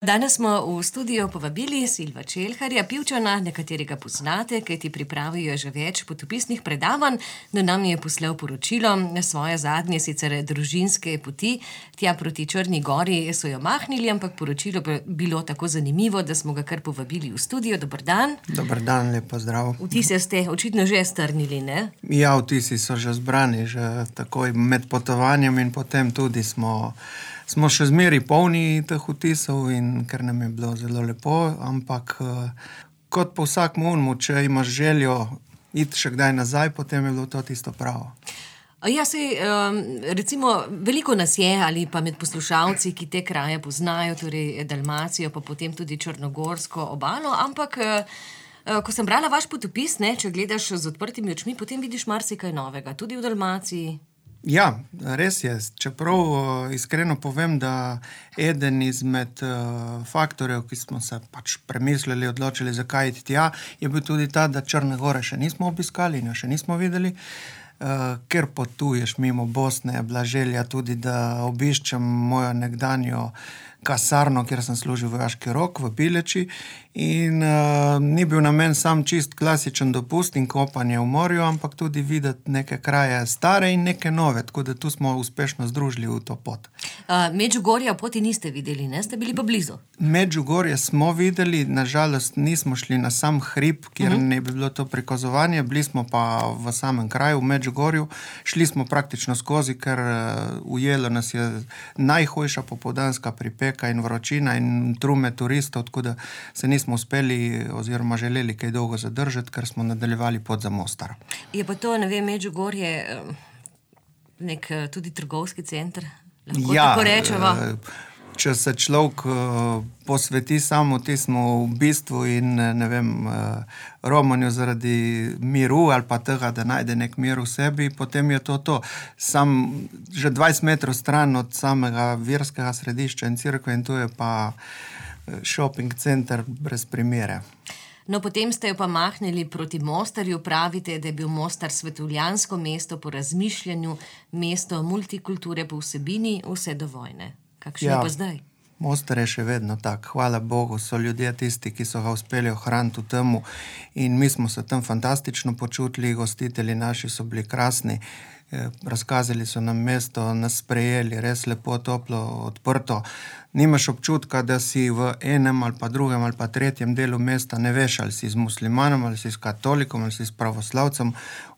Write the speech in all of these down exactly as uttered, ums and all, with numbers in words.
Danes smo v studio povabili Silva Čelharja, Pivčana, nekaterega poznate, kajti pripravijo že več potopisnih predavanj. Do nam je poslal poročilo svoje zadnje, sicer družinske poti. Tja proti Črni gori so jo mahnili, ampak poročilo je bilo tako zanimivo, da smo ga kar povabili v studio. Dober dan. Dober dan, lep pozdrav. Vtise ste očitno že strnili, ne? Ja, vtisi so že zbrani, že takoj med potovanjem in potem tudi smo... Smo še zmeri polni teh vtisov in ker nam je bilo zelo lepo, ampak kot po vsakem unmu, če imaš željo iti še kdaj nazaj, potem je bilo to tisto pravo. Ja, sej, recimo, veliko nas je ali pa med poslušalci, ki te kraje poznajo, torej Dalmacijo, pa potem tudi Črnogorsko obalo, ampak ko sem brala vaš potopis, ne, če gledaš z odprtimi očmi, potem vidiš marsikaj novega, tudi v Dalmaciji. Ja, res je. Čeprav iskreno povem, da eden izmed faktorjev, ki smo se pač premislili, odločili, zakaj iti tja, je bil tudi ta, da Črne gore še nismo obiskali in jo še nismo videli. Ker potuješ mimo Bosne, je bila želja tudi, da obiščem mojo nekdanjo kasarno, kjer sem služil vojaški rok v Bileči in uh, ni bil namen sam čist klasičen dopust in kopanje v morju, ampak tudi videti neke kraje stare in neke nove, tako da tu smo uspešno združili v to pot. Uh, Medžugorja poti niste videli, ne? Ste bili pa blizu? Medžugorje smo videli, nažalost nismo šli na sam hrib, kjer uh-huh. ne bi bilo to prikazovanje, bili smo pa v samem kraju, v Medžugorju, šli smo praktično skozi, ker uh, ujelo nas je najhujša popoldanska pripeka in vročina in trume turistov, tako da se nismo uspeli oziroma želeli kaj dolgo zadržati, ker smo nadaljevali pot za Mostar. Je pa to, ne vem, Medžugorje nek tudi trgovski center? Lahko ja, tako rečeva? Če se človek posveti samo tismu v bistvu in ne vem, romanju zaradi miru ali pa tega, da najde nek mir v sebi, potem je to to. Sam že dvajset metrov stran od samega verskega središča in cerkve in tu je pa shopping center brez primere. No, potem ste jo pa mahnili proti Mostarju, pravite, da je bil Mostar svetovljansko mesto po razmišljanju, mesto multikulture po vsebini, vse do vojne. Kakšno ja, je pa zdaj? Mostar je še vedno tak. Hvala Bogu, so ljudje tisti, ki so ga uspeli ohraniti v temu in mi smo se tam fantastično počutili, gostitelji naši so bili krasni, razkazali so nam mesto, nas sprejeli, res lepo, toplo, odprto. Nimaš občutka, da si v enem ali pa drugem ali pa tretjem delu mesta ne veš, ali si z muslimanom, ali si s katolikom, ali si s pravoslavcem.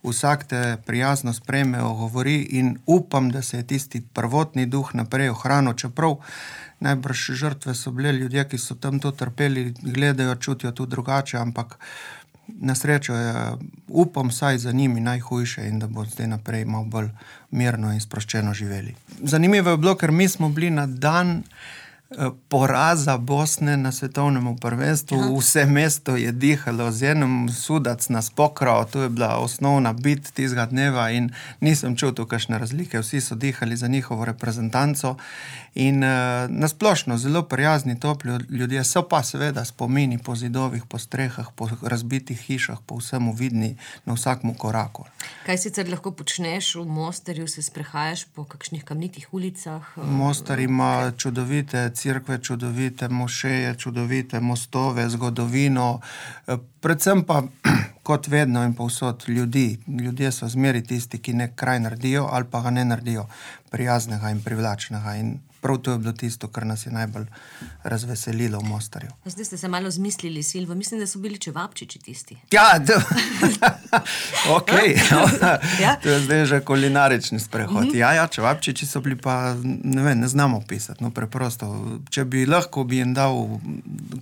Vsak te prijazno sprejme, ogovori in upam, da se je tisti prvotni duh naprej ohranil, čeprav najbrž žrtve so bile ljudje, ki so tam to trpeli, gledajo, čutijo tu drugače, ampak na srečo je, upam saj za njimi najhujše in da bo zdaj naprej malo bolj mirno in sproščeno živeli. Zanimivo je bilo, ker mi smo bili na dan poraza Bosne na svetovnem prvenstvu. Aha. Vse mesto je dihalo z enim, sudac nas pokral, to je bila osnovna bit tistega dneva in nisem čutil kakšne razlike. Vsi so dihali za njihovo reprezentanco in uh, nasplošno zelo prijazni, topli ljudje, so pa seveda spomini po zidovih, po strehah, po razbitih hišah, po vsemu vidni na vsakmu koraku. Kaj sicer lahko počneš v Mostarju, se sprehajaš po kakšnih kamnitih ulicah? Mostar ima čudovite cerkve, čudovite mošeje, čudovite mostove, zgodovino, predvsem pa kot vedno in povsod ljudi. Ljudje so zmeri tisti, ki nek kraj naredijo ali pa ga ne naredijo prijaznega in privlačnega in prav to je bilo tisto, kar nas je najbolj razveselilo v Mostarju. Zdaj ste se malo zmislili, Silvo. Mislim, da so bili čevapčiči tisti. Ja, to... ok. Ja? To je zdaj že kulinarični sprehod. Mm-hmm. Ja, ja, čevapčiči so bili pa, ne vem, ne znamo pisati, no preprosto. Če bi lahko, bi jim dal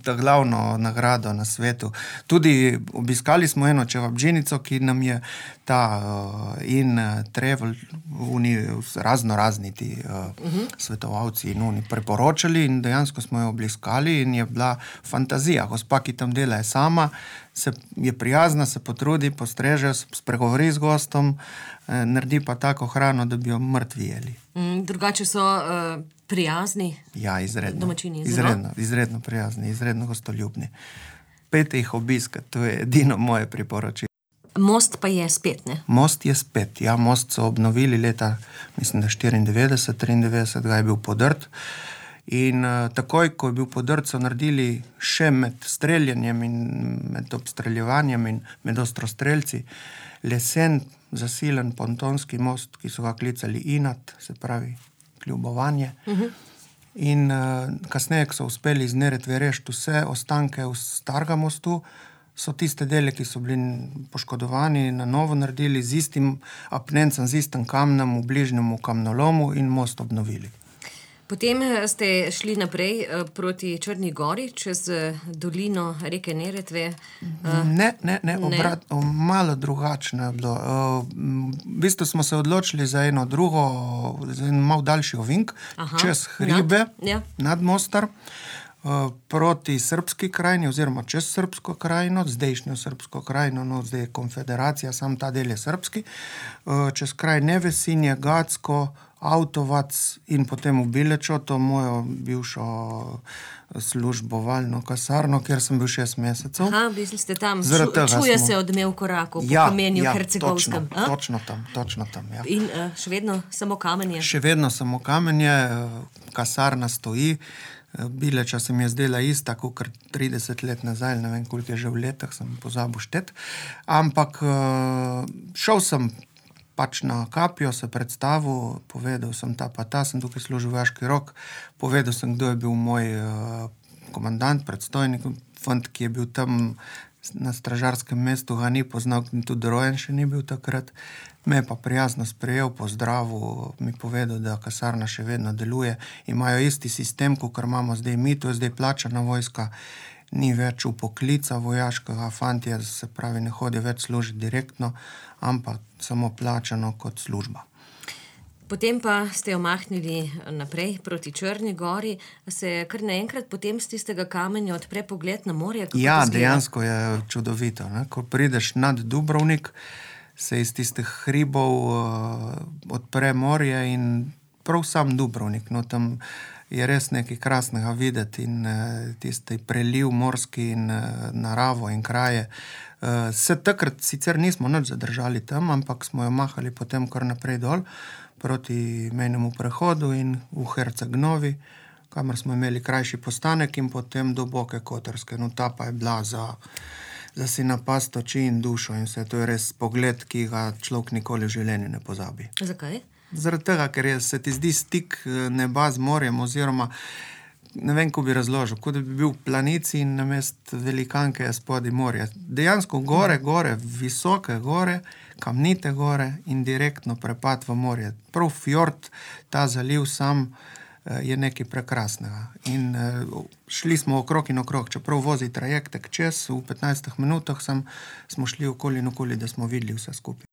ta glavno nagrado na svetu. Tudi obiskali smo eno čevapdžinico, ki nam je ta uh, in uh, travel, oni razno razni ti uh, mm-hmm. svetovalci in oni priporočali in dejansko smo jo obiskali in je bila fantazija. Gospa, ki tam dela, je sama, se je prijazna, se potrudi, postreže, spregovori z gostom, eh, naredi pa tako hrano, da bi jo mrtvi jeli. Mm, drugače so uh, prijazni? Ja, izredno. Domačini, izredno, izredno prijazni, izredno gostoljubni. Pejte jih obiskat, to je edino moje priporočilo. Most pa je spet, ne? Most je spet, ja, most so obnovili leta, mislim, da štiriindevetdeset, triindevetdeset ga je bil podrt In uh, takoj, ko je bil podrt, so naredili še med streljanjem in med obstreljevanjem in med ostrostrelci lesen, zasilen pontonski most, ki so ga klicali Inat, se pravi kljubovanje. Uh-huh. In uh, kasneje, ko so uspeli iz Neretve rešiti vse ostanke v starega mostu, so tiste dele, ki so bili poškodovani, na novo naredili z istim apnencem, z istim kamnem v bližnjem kamnolomu in most obnovili. Potem ste šli naprej proti Črni gori, čez dolino reke Neretve. Ne, ne, ne, obrat, ne. Malo drugačno je bilo. V bistvu smo se odločili za eno drugo, za en malo daljši ovink, Aha, čez hribe, nad, ja. nad Mostar, proti Srbski krajini, oziroma čez Srbsko krajino, zdajšnjo Srbsko krajino, no zdaj je konfederacija, sam ta del je srbski, čez kraj Nevesinje, Gacko, Avtovac in potem v Bilečo, to mojo bivšo službovalno kasarno, kjer sem bil šest mesecev. Aha, bili ste tam, Ču, čuje smo... se odmev korakov po ja, Kamenju ja, Hercegovskem. Točno, točno tam, točno tam, ja. In uh, še vedno samo kamenje? Še vedno samo kamenje, kasarna stoji. Bileča se mi je zdela ista, kot trideset let nazaj, ne vem, koliko je že v letah, sem pozabil štet. Ampak šel sem pač na Kapijo, se predstavil, povedal sem ta pa ta, sem tukaj služil vojaški rok, povedal sem, kdo je bil moj uh, komandant, predstojnik, fant, ki je bil tam na stražarskem mestu, ga ni poznal, tudi rojen še ni bil takrat. Me je pa prijazno sprejel, pozdravil, mi povedal, da kasarna še vedno deluje, imajo isti sistem, kot imamo zdaj mi, to je zdaj plačana vojska, ni več upoklica vojaškega, fantje, se pravi, ne hodi več služiti direktno, ampak samo plačano kot služba. Potem pa ste omahnili naprej proti Črni gori, se kar naenkrat potem z tistega kamenja odpre pogled na morje? Ja, dejansko je čudovito. Ne? Ko prideš nad Dubrovnik, se iz tistih hribov uh, odpre morje in prav sam Dubrovnik, no tam je res nekaj krasnega videti in uh, tisti preliv morski in uh, naravo in kraje. Uh, se takrat sicer nismo nič zadržali tam, ampak smo jo mahali potem kar naprej dol proti mejnemu prehodu in v Herceg-Novi, kamor smo imeli krajši postanek in potem do Boke Kotorske. No ta pa je bila za, za si napast oči in dušo in vse to je res pogled, ki ga človek nikoli v življenju ne pozabi. Zakaj? Zaradi tega, ker je, se ti zdi stik neba z morjem, oziroma ne vem, ko bi razložil, kot da bi bil v planici in namest velikanke je spodaj morje. Dejansko gore, gore, visoke gore, kamnite gore in direktno prepad v morje. Prav fjord, ta zaliv sam je nekaj prekrasnega. In šli smo okrog in okrog, čeprav vozi trajektek čez, v petnajstih minutah sem, smo šli okoli in okoli, da smo videli vse skupaj.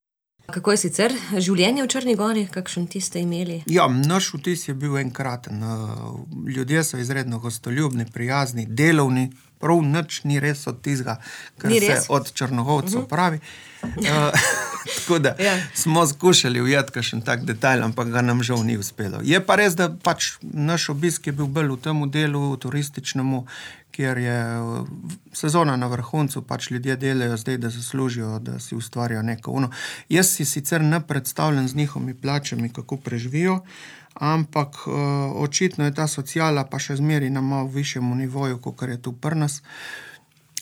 Kako je sicer življenje v Črni gori, kakšen ti ste imeli? Ja, naš vtis je bil enkraten. Ljudje so izredno gostoljubni, prijazni, delovni, prav nič ni res od tizga, kar se od Črnogovcev uh-huh. pravi. Uh, tako da ja. smo skušali ujeti kakšen tak detajl, ampak ga nam žal ni uspelo. Je pa res, da pač naš obisk je bil bolj v temu delu turističnemu, kjer je sezona na vrhuncu, pač ljudje delajo zdaj, da zaslužijo, da si ustvarjajo neko ono. Jaz si sicer ne predstavljam z njihovimi plačami, kako preživijo, ampak uh, očitno je ta sociala pa še zmeri na malo višjemu nivoju, kot je tu pri nas.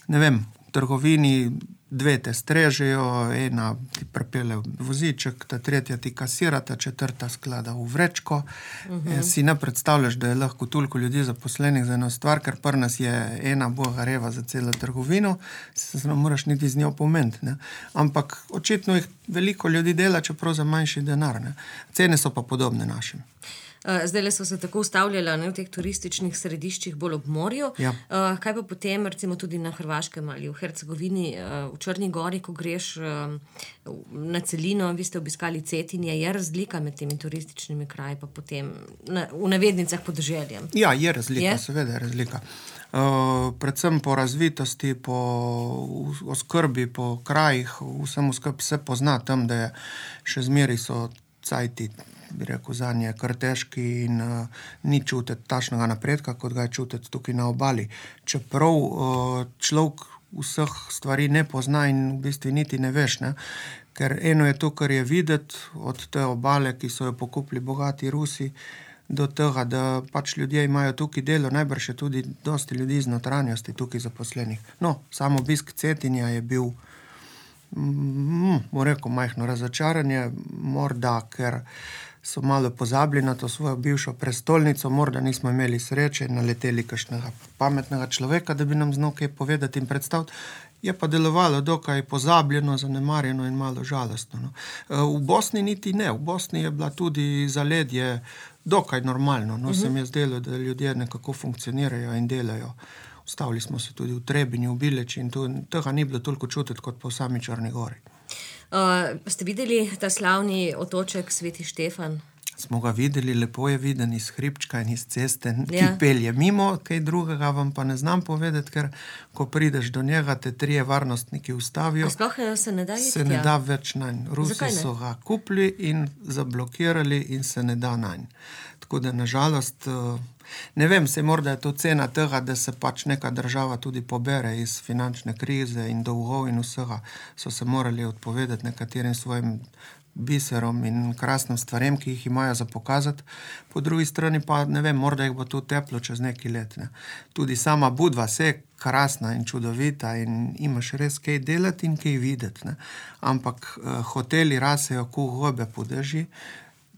Ne vem, v trgovini dve te strežejo, ena ti prepele voziček, ta tretja ti kasira, ta četrta sklada v vrečko. Uh-huh. Si ne predstavljaš, da je lahko toliko ljudi zaposlenih za eno stvar, ker pri nas je ena bogareva za celo trgovino, se ne moraš niti z njo pomeniti. Ne? Ampak očitno jih veliko ljudi dela, čeprav za manjši denar. Ne? Cene so pa podobne našim. Zdaj so se tako ustavljala ne, v teh turističnih središčih bolj ob morju. Ja. Kaj pa potem, recimo tudi na Hrvaškem ali v Hercegovini, v Črni gori, ko greš na celino, vi ste obiskali Cetinje, je razlika med temi turističnimi kraji pa potem na, v navednicah podeželjem? Ja, je razlika, je? Seveda je razlika. Uh, predvsem po razvitosti, po oskrbi, po krajih, vsem skrb se pozna tam, da je še zmeri so cajti, bi rekel, zanje kar težki in uh, ni čutiti tašnega napredka, kot ga je čutiti tukaj na obali. Čeprav uh, človek vseh stvari ne pozna in v bistvu niti ne veš, ne? Ker eno je to, kar je videti od te obale, ki so jo pokupili bogati Rusi, do tega, da pač ljudje imajo tukaj delo, najbrž je tudi dosti ljudi iz notranjosti tukaj zaposlenih. No, samo obisk Cetinja je bil, mm, bom rekel, majhno razočaranje, morda, ker so malo pozabili na to svojo bivšo prestolnico, morda nismo imeli sreče in naleteli kakšnega pametnega človeka, da bi nam znal kaj povedati in predstaviti. Je pa delovalo dokaj pozabljeno, zanemarjeno in malo žalostno. No. V Bosni niti ne. V Bosni je bila tudi zaledje dokaj normalno. No. Uh-huh. Se mi je zdelo, da ljudje nekako funkcionirajo in delajo. Ustavili smo se tudi v Trebinju, v Bileči in tu, tega ni bilo toliko čutiti kot po sami Črni gori. Uh, ste videli ta slavni otoček Sveti Štefan? Smo ga videli, lepo je viden iz hribčka in iz ceste, ki Ja. pelje mimo, kaj drugega vam pa ne znam povedati, ker ko prideš do njega, te trije varnostniki ustavijo. A sploh eh, se ne da iti Se ne tja? da več nanj. Rusi Zakaj ne? so ga kupili in zablokirali in se ne da nanj. Tako da nažalost, eh, ne vem, se morda je to cena tega, da se pač neka država tudi pobere iz finančne krize in dolgov in vsega, so se morali odpovedati nekaterim svojim biserom in krasnim stvarem, ki jih imajo za pokazati. Po drugi strani pa, ne vem, morda jih bo to teplo čez neki let. Ne. Tudi sama Budva se je krasna in čudovita in imaš res kaj delati in kaj videti. Ne. Ampak eh, hoteli rasejo ku gobe po dežji.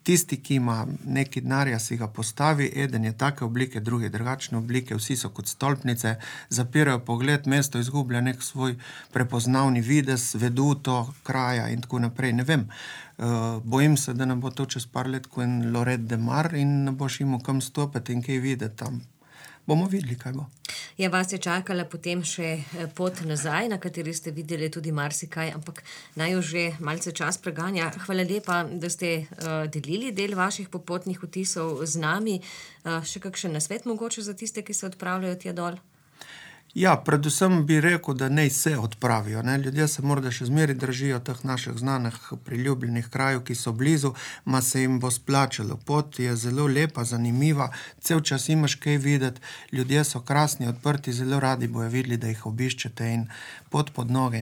Tisti, ki ima neki denarja, si ga postavi, eden je take oblike, druge drugačne oblike, vsi so kot stolpnice, zapirajo pogled, mesto izgublja nek svoj prepoznavni videz, veduto, kraja in tako naprej. Ne vem, uh, bojim se, da ne bo to čez par let kot en Lorette de Mar in ne boš imel kam stopiti in kaj videti tam. Bomo videli, kaj bo. Ja, vas je čakala potem še eh, pot nazaj, na kateri ste videli tudi marsikaj, ampak naj jo že malce čas preganja. Hvala lepa, da ste uh, delili del vaših popotnih vtisov z nami. Uh, še kakšen nasvet mogoče za tiste, ki se odpravljajo tja dol? Ja, predvsem bi rekel, da naj se odpravijo. Ne? Ljudje se morda še zmeri držijo teh naših znanih priljubljenih krajev, ki so blizu, ma se jim bo splačalo. Pot je zelo lepa, zanimiva, cel čas imaš kaj videti, ljudje so krasni, odprti, zelo radi bojo videli, da jih obiščete in pot pod noge.